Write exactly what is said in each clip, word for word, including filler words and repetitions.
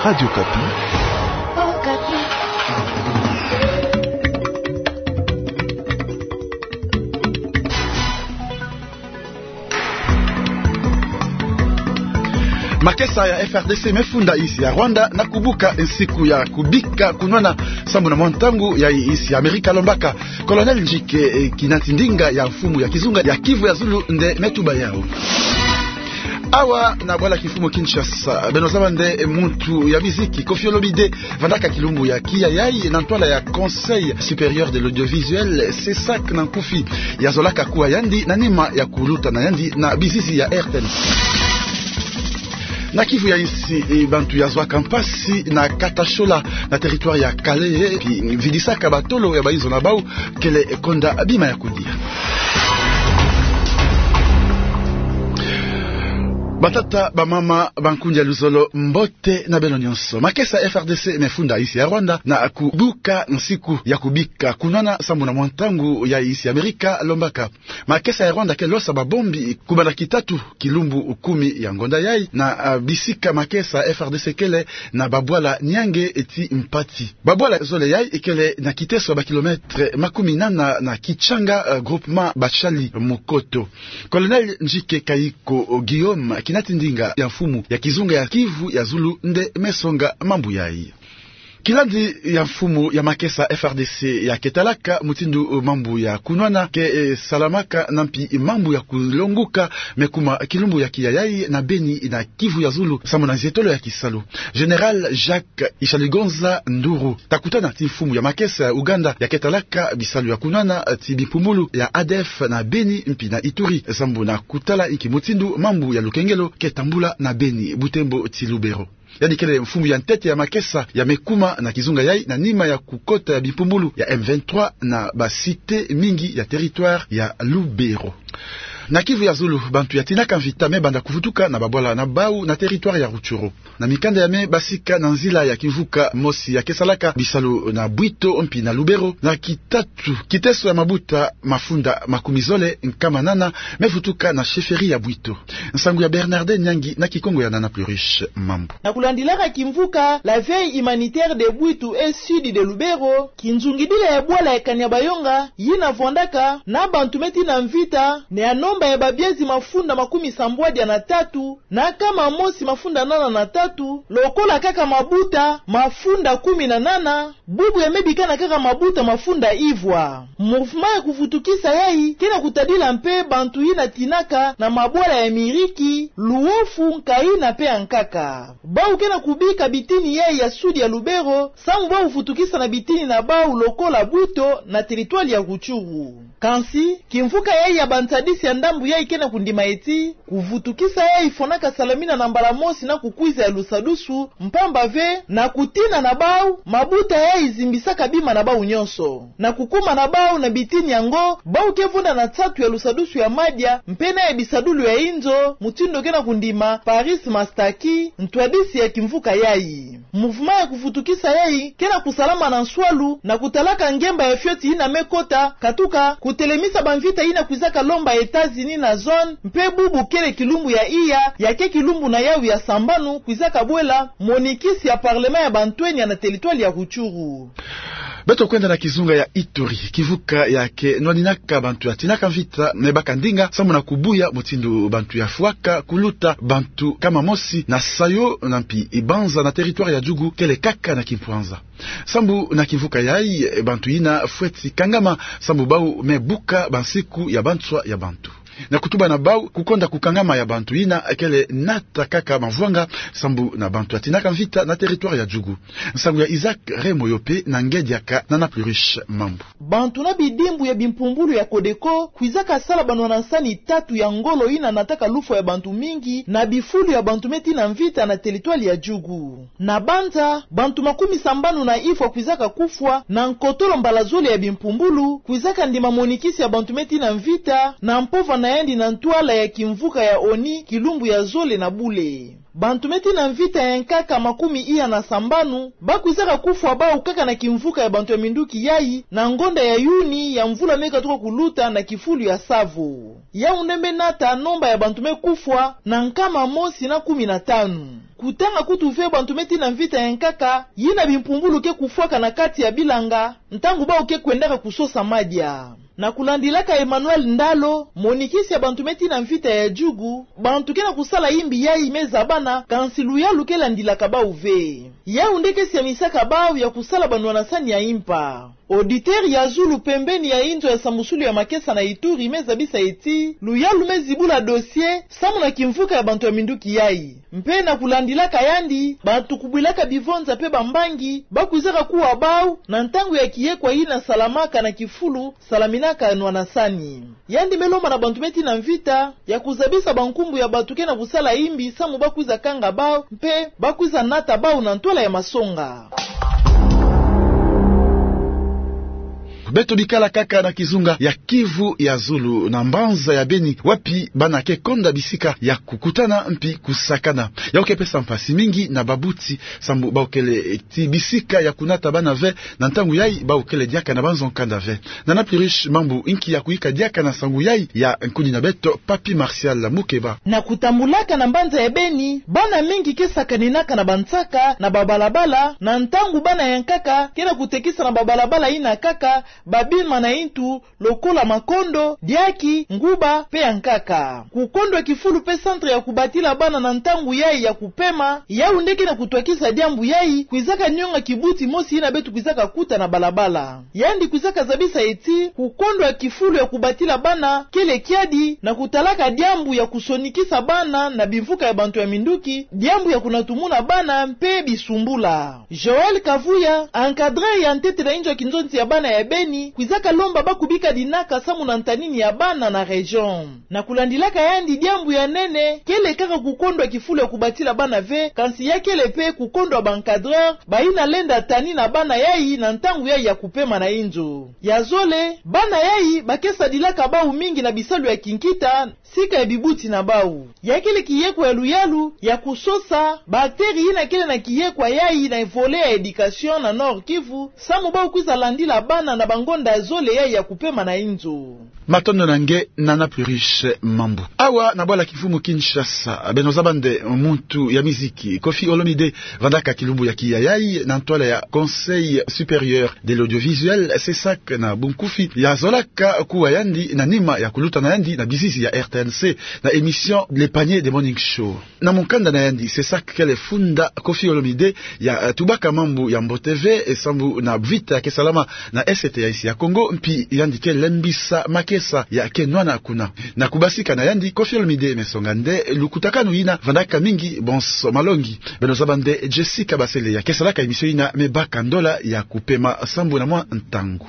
Radio Okapi. Makesa ya F R D C mefunda insi ya Rwanda na kubuka nsiku ya kubika kunwana sambu na mwa ntangu ya insi ya Amerika lombaka. Colonel Njike, eh, Kinatindinga ya mfumu ya kizunga ya Kivu ya Zulu nde metuba yau. Awa na bwala kimfumu Kinshasa, beno zaba nde muntu ya miziki Koffi Olomide vandaka kilumbu ya kiya yai na ntwala ya Conseil Supérieur de l'Audiovisuel, CSAC na nkufi. Yazolaka kuwa yandi na nima ya kuluta na yandi na bizizi ya R T N. Na Kivu ya insi, eh, bantu yazwaka mpasi na Katashola na territoire ya Kalehe, pi vidisaka batolo ya bainzo na bau kele konda bima ya kudia. Batata, bamama, bankundi ya luzolo, mbote na beno nyonso. Makesa F R D C mefunda insi ya Rwanda na kubuka nsiku ya kubika kunwana sambu na mwa ntangu ya insi ya Amerika lombaka. Makesa ya Rwanda ke losa babombi kubanda kitatu kilumbu kumi ya ngonda yai na, ah, bisika makesa F R D C kele na babwala Niange ti Mpati. Babwala zole yai kele na kiteso ya bakilometre makumi nana na Kitshanga, ah, groupement Bashali Mukoto. Colonel Njike Kayiko Guillaume, kinatindinga ya mfumu ya kizunga ya Kivu ya Zulu, nde mesonga mambu yai. Kilandi ya mfumu ya makesa F R D C ya ketalaka mutindu mambu ya kunwana ke, eh, salamaka na mpi mambu ya kulonguka mekuma kilumbu ya kiya yai na Beni na Kivu ya Zulu, sambu na nzietolo ya kisalu. Général Jacques Ishaligonza Nduru takutana ti mfumu ya makesa ya Ouganda ya ketalaka bisalu ya kunwana ti bimpumbulu ya A D F na Beni mpi na Ituri, sambu na kutala inki mutindu mambu ya lukengelo ke tambula na Beni, Butembo ti Lubero. Yandi kele mfumu ya ntete ya makesa ya mekuma na kizunga yai na nima ya kukota ya bimpumbulu ya M vingt-trois na ba cité mingi ya territoire ya Lubero. Na Kivu ya Zulu, bantu ya tinaka mvita mebanda kuvutuka na babwala na bau na territoire ya Rutshuru. Na mikanda ya me basika na nzila ya kimvuka mosi ya kesalaka bisalu na Bwito mpi na Lubero, na kitatu kiteso ya mabuta mafunda makumi zole nkama nana mevutuka na chefferie ya Bwito. Nsangu ya Bernardin Nyangi na kikongo ya Nana Pluriche Mambu. Na kulandilaka kimvuka la veille humanitaire de Bwito et sud de Lubero, kinzungidila ya bwala ya Kanyabayonga yina vwandaka na bantu me tina mvita, na ya nomba ya babiezi mafunda makumi sambwadi na tatu, na nkama mosi mafunda nana na tatu, lokola kaka mabuta mafunda kumi na nana, bubu ya mebikana kaka mabuta mafunda ivwa. Mouvement ya kuvutukisa yai ke na kutadila mpe bantu yina tinaka na mabwala ya Miriki, Luofu, Nkaina mpe Ankaka. Bau ke na kubika bitini yai ya sud ya Lubero, samu bau vutukisa na bitini na bau lokola Bwito na territoire ya Rutshuru. Kansi, kimvuka yai ya bantadisi ya ndambu yai ke na kundima eti, kuvutukisa yai fwanaka salamina na mbala mosi na kukwiza ya lusadusu, mpamba ve, na kutina na bau, mabuta yai zimbisaka bima na bau nyonso. Na kukuma na bau na bitini yango, bau ke vwanda na nsatu ya lusadusu ya madia, mpe na ya bisadulu ya inzo, mutindu ke na kundima Paris Mastaki, ntwadisi ya kimvuka yai. Mouvement ya kuvutukisa yai ke na kusalama na nswalu, na kutalaka ngemba ya fioti yina me kota, katuka kutelemisa bamvita yina kwizaka lomba États-Unis na zone, mpe bubu kele kilumbu ya iya, ya ke kilumbu na yau ya sambanu kwizaka bwela monikisi ya parlement ya bantwenya na territoire ya Rutshuru. Beto kwenda na kizunga ya Ituri, kimvuka ya ke nwaninaka bantu ya tinaka mvita me baka ndinga, samu na kubuya mutindu bantu ya fwaka kuluta bantu nkama mosi na Sayo na mpi Ibanza na territoire ya Djugu kele kaka na kimpwanza. Sambu na kimvuka yai, bantu yina fweti kangama, sambu bau me buka bansiku ya banswa ya bantu. Na kutuba na bau, kukonda kukangama ya bantu yina kele nata kaka mavwanga, sambu na bantu ya tinaka mvita na territoire ya Djugu. Nsangu ya Isaac Remoyope na ngedi ya ka Nana Pluriche Mambu. Bantu na bidimbu ya bimpumbulu ya Codeco kwizaka sala banwana nsani tatu ya ngolo yina nataka lufwa ya bantu mingi na bifulu ya bantu me tina mvita na territoire ya Djugu. Na Banza, bantu makumi sambanu na ifwa kwizaka kufwa, na nkotolo mbala zole ya bimpumbulu, kwizaka ndima monikisi ya bantu me tina mvita, na mpova na yandi na ntwala ya kimvuka ya ONU, kilumbu ya zole na bule. Bantu me tina mvita ya nkaka makumi iya na sambanu bakwizaka kufwa bau kaka na kimvuka ya bantu ya minduki yai, na ngonda ya Yuni ya mvula me katuka kuluta na kifulu ya Savo. Yau nde me nata nomba ya bantu me kufwa na nkama mosi na kumi na tanu. Kutanga kutu ve bantu me tina mvita ya nkaka, yina bimpumbulu ke kufwaka na kati ya bilanga, ntangu bau ke kwendaka kusosa madia. Na kulandilaka Emmanuel Ndalo, monikisi ya bantu me tina mvita ya jugu, bantu ke na kusala imbi yai me zabana, kansi luyalu ke landilaka bau ve. Yau nde ke siamisaka bau ya kusala banwanasani ya impa. Auditeur ya zulu pembeni ya inzo ya sambusulu ya makesa na Ituri me zabisa ti, luyalu me zibula dossier, samu na kimvuka ya bantu ya minduki yai. Mpe na kulandilaka yandi, bantu kubwilaka bivonza mpe bambangi, bakwizaka kuwa bau, na ntangu ya kiyekwa yina salamaka na kifulu, salaminaka nwanasani. Yandi me lomba na bantu me tina mvita, ya kuzabisa bankumbu ya bantu ke na kusala imbi, samu bakwiza kanga bau, mpe bakwiza nata bau na ntwala ya masonga. Beto bikala kaka na kizunga ya Kivu ya zulu na mbanza ya Beni, wapi bana ke konda bisika ya kukutana mpi kusakana. Yau ke pesa mpasi mingi na babuti, sambu bau kele ti bisika ya kunata bana ve, na ntangu yai bau kele diaka na banzo nkanda ve. Nana Pirish Mambu, inki ya kuyika diaka na nsangu yai ya nkuni na beto, Papy Martial Mukeba. Na kutambulaka na mbanza ya Beni, bana mingi ke sakaninaka na bansaka na babalabala, na ntangu bana ya nkaka ke na kutekisa na babalabala yina kaka, babima na intu, lokola makondo, diaki, nguba, mpe ya nkaka. Kukondwa kifulu mpe centre ya kubatila bana na ntangu yai ya kupema, yau nde ke na kutwakisa diambu yai, kwizaka nionga kibuti mosi yina beto kwizaka kuta na balabala. Yandi kwizaka zabisa ti, kukondwa kifulu ya kubatila bana, kele kiadi, na kutalaka diambu ya kusonikisa bana na bimvuka ya bantu ya minduki, diambu ya kunatumuna bana, mpe bisumbula. Joël Kavuya, encadreur ya ntete na inzo ya kinzonzi ya bana ya Beni, kwizaka lomba bakubika dinaka samu na ntanini ya bana na région. Na kulandilaka yandi, diambu ya nene kele kaka kukondwa kifulu ya kubatila bana ve, kansi ya kele mpe kukondwa ba encadreur, bayina lenda tanina bana yai na ntangu yai ya kupema na inzo. Ya zole, bana yai ba ke sadilaka bau mingi na bisalu ya kinkita, sika ya bibuti na bau. Ya kele kiyekwa ya luyalu, ya kusosa, ba acteurs yina kele na kiyekwa yai na volet ya éducation na Nord-Kivu, samu bau kwiza landila bana na bangonda zole yai ya kupema na inzo. Matondo na nge, Nana Pirish Mambu. Awa na bwala kimfumu Kinshasa, beno zaba nde muntu ya miziki, Koffi Olomide, vandaka kilumbu ya kiya yai na ntwala ya Conseil Supérieur de l'Audiovisuel, CESAC na bunkufi, ya zolaka kuwa yandi na nima ya kuluta na yandi na bizizi ya R T N C na émission Le Panier de Morning Show. Na mukanda na yandi, CESAC kele funda Koffi Olomide ya, eh, tubaka mambu ya mbote ve, eh, sambu na vita ya ke salama na est ya insi ya Kongo, mpi yandi ke lembisa makesa ya ke nwana kuna. Na kubasika na yandi, Koffi Olomide me songa nde lukutakanu yina vandaka mingi bonso malongi. Beno zaba nde Jessica Basele ya ke salaka émission yina me baka ndola ya kupema sambu na mwa ntangu.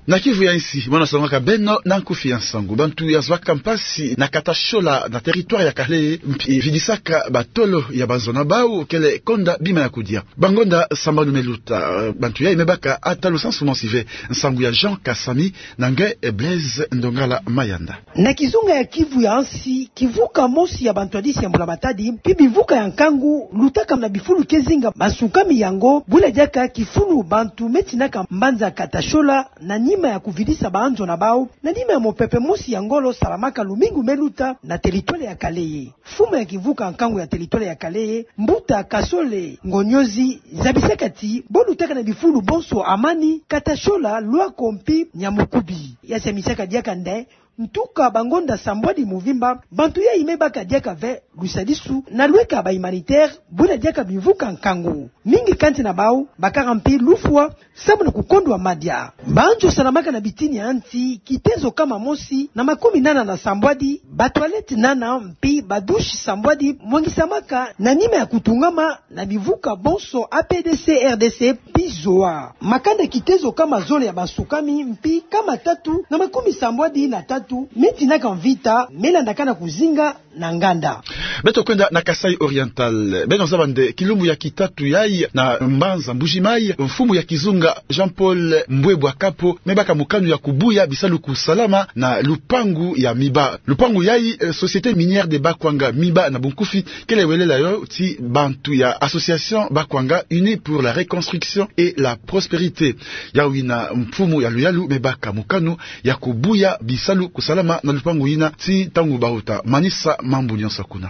Na Kivu ya insi, mwana songaka beno na nkufi ya nsangu. Bantu ya zwaka mpasi na Katashola na territoire ya Kalehe, mpi vidisaka batolo ya banzo na bau kele konda bima ya kudia. Bangonda sambanu me luta, bantu yai me baka ata lusansu mosi ve. Nsangu ya Jean Kasami na nge Blaise Ndongala Mayanda. Na kizunga ya Kivu ya nsi, kivuka mosi ya bantwadisi ya mbula matadi, mpi bivuka ya nkangu, lutaka na bifulu ke zinga masukami yango, bula diaka kifulu bantu me tinaka mbanza Katashola, na nima ya kuvidisa banzo na bau, na nima ya mopepe mosi ya ngolo salamaka lumingu me luta na territoire ya Kalehe. Mfumu ya kivuka nkangu ya territoire ya Kalehe, Mbuta Kasole Ngonyozi, zabisaka ti, bo lutaka na bifulu bonso amani, Katashola, Lwako mpi Nyamukubi. Ya siamisaka diaka nde, ntuka bangonda sambwadi muvimba, bantu yai me baka diaka ve lusadisu na lweka ba humanitaire, bula diaka bivuka nkangu. Mingi kati na bau bakaka mpi lufwa, sambu na kukondwa madia. Banzo salamaka na bitini ya nsi, kitezo kama mosi na makumi nana na sambwadi, ba toilette nana mpi ba douche sambwadi mwangisamaka na nima ya kutungama na bivuka bonso A P D C, R D C, mpi zoa. Makanda kitezo kama zole ya basukami, mpi kama tatu na makumi sambwadi na tatu, me tinaka mvita, me landaka na kuzinga na nganda. Beto kwenda na Kasaï Oriental. Beno zaba nde kilumbu ya kitatu yayi na mbanza Mbuji-Mayi, mfumu ya kizunga Jean-Paul Mbwebwa Kapo me baka mokano ya kubuya bisalu kusalama na lupangu ya Miba. Lupangu yayi, eh, Société Minière de Bakwanga, Miba na bunkufi, kele welela yo ti bantu ya Association Bakwanga Unis pour la Reconstruction et la Prospérité. Yawu yina mfumu ya luyalu me baka mokano ya kubuya bisalu kusalama na lupangu yina ti ntangu bahuta manisa mambu nyonso kuna.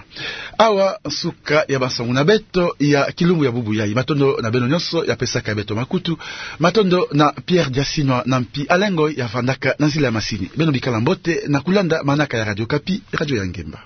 Awa nsuka ya bansangu na beto ya kilumbu ya bubu yayi. Matondo na beno nyonso ya pesaka beto makutu. Matondo na Pierre Diasinwa na mpi Alain Ngoy ya vandaka na nzila ya masini. Beno bikala mbote na kulanda manaka ya Radio Okapi, radio ya ngemba.